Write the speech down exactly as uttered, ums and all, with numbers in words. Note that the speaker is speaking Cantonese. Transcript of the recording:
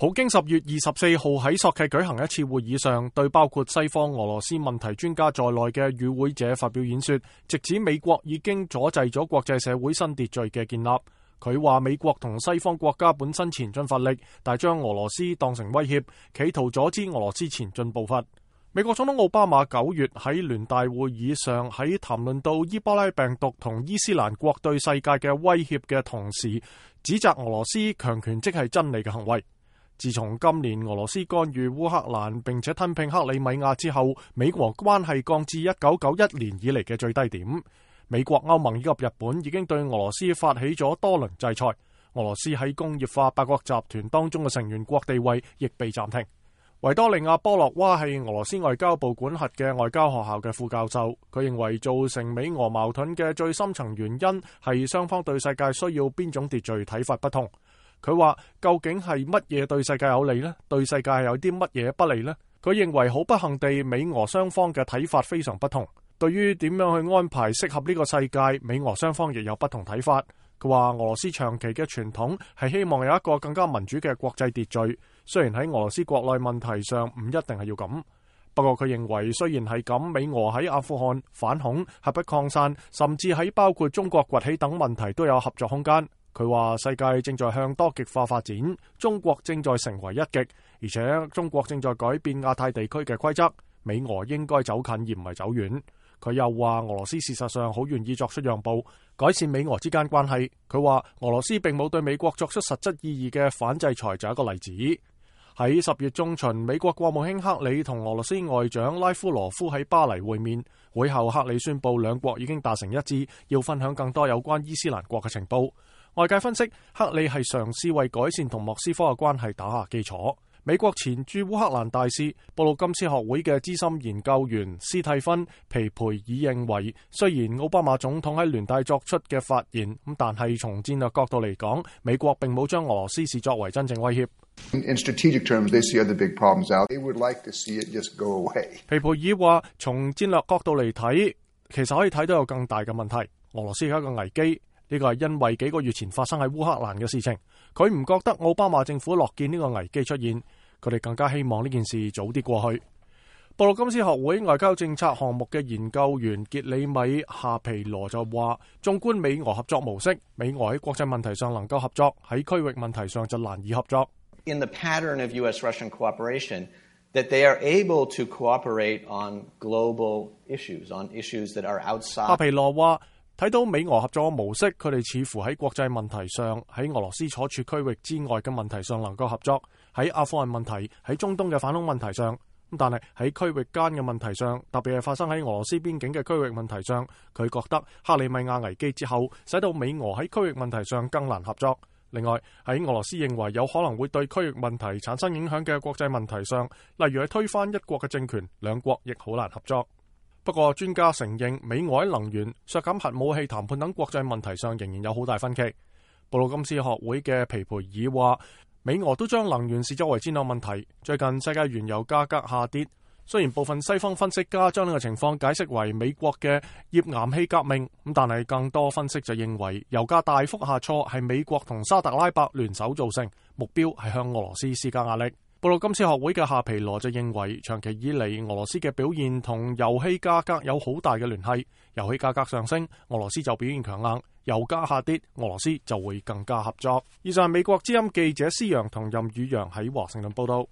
普京十月二十四號喺索契舉行一次會議上，對包括西方俄羅斯問題專家在內嘅與會者發表演說，直指美國已經阻滯咗國際社會新秩序嘅建立。佢話美國同西方國家本身前進乏力，但將俄羅斯當成威脅，企圖阻止俄羅斯前進步伐。美國總統奧巴馬九月喺聯大會議上喺談論到伊波拉病毒同伊斯蘭國對世界嘅威脅嘅同時，指責俄羅斯強權即係真理嘅行為。自從今年俄羅斯干預烏克蘭並且吞併克里米亞之後，美俄關係降至一九九一年以嚟嘅最低點。美國、歐盟以及日本已經對俄羅斯發起咗多輪制裁，俄羅斯喺工業化八國集團當中嘅成員國地位亦被暫停。維多利亞波洛娃係俄羅斯外交部管轄嘅外交學校嘅副教授，佢認為造成美俄矛盾嘅最深層原因係雙方對世界需要邊種秩序睇法不同。佢話究竟係乜嘢對世界有利呢？對世界有啲乜嘢不利呢？佢認為好不幸地，美俄雙方嘅睇法非常不同。對於點樣去安排適合呢個世界，美俄雙方亦有不同睇法。佢話俄羅斯長期嘅傳統係希望有一個更加民主嘅國際秩序，雖然喺俄羅斯國內問題上唔一定係要咁。不過佢認為雖然係咁，美俄喺阿富汗、反恐、核不擴散，甚至喺包括中國崛起等問題都有合作空間。佢話世界正在向多極化發展，中國正在成為一極，而且中國正在改變亞太地區嘅規則，美俄應該走近而唔係走遠。佢又話俄羅斯事實上好願意作出讓步，改善美俄之間關係。佢話俄羅斯並冇對美國作出實質意義嘅反制裁，就係一個例子。喺十月中旬，美國國務卿克里同俄羅斯外長拉夫羅夫喺巴黎會面，會後克里宣布兩國已經達成一致，要分享更多有關伊斯蘭國嘅情報。外界分析，克里係嘗試為改善同莫斯科嘅關係打下基礎。美國前駐烏克蘭大使、布魯金斯學會嘅資深研究員斯蒂芬皮培爾認為，雖然奧巴馬總統喺聯大作出嘅發言，咁但係從戰略角度嚟講，美國並冇將俄羅斯視作為真正威脅。In strategic terms, they see other big problems out. They would like to see it just go away. 皮培爾話，從戰略角度嚟睇，其實可以睇到有更大嘅問題。俄羅斯係一個危機。呢個係因為幾個月前發生喺烏克蘭嘅事情，佢唔覺得奧巴馬政府樂見呢個危機出現，佢哋更加希望呢件事早啲過去。布魯金斯學會外交政策項目嘅研究員傑里米夏皮羅就話，縱觀美俄合作模式，美俄喺國際問題上能夠合作，喺區域問題上就難以合作。In the pattern of U S Russian cooperation, that they are able to cooperate on global issues, on issues that are outside. 夏皮羅話，睇到美俄合作嘅模式，佢哋似乎喺國際問題上，喺俄羅斯所處區域之外嘅問題上能夠合作，喺阿富汗問題、喺中東嘅反恐問題上，但係喺區域間嘅問題上，特別係發生喺俄羅斯邊境嘅區域問題上，佢覺得克里米亞危機之後，使到美俄喺區域問題上更難合作。另外，喺俄羅斯認為有可能會對區域問題產生影響嘅國際問題上，例如係推翻一國嘅政權，兩國亦好難合作。不過專家承認，美俄喺能源、削減核武器談判等國際問題上仍然有好大分歧。布魯金斯學會嘅皮培爾話，美俄都將能源視作為戰略問題。最近世界原油價格下跌，雖然部分西方分析家將呢個情況解釋為美國嘅頁岩氣革命，咁但係更多分析就認為油價大幅下挫係美國同沙特拉伯聯手造成，目標係向俄羅斯施加壓力。布魯金斯學會嘅夏皮羅就認為，長期以嚟俄羅斯嘅表現同油氣價格有好大嘅聯繫，油氣價格上升，俄羅斯就表現強硬；油價下跌，俄羅斯就會更加合作。以上係美國之音記者施陽同任宇陽喺華盛頓報道。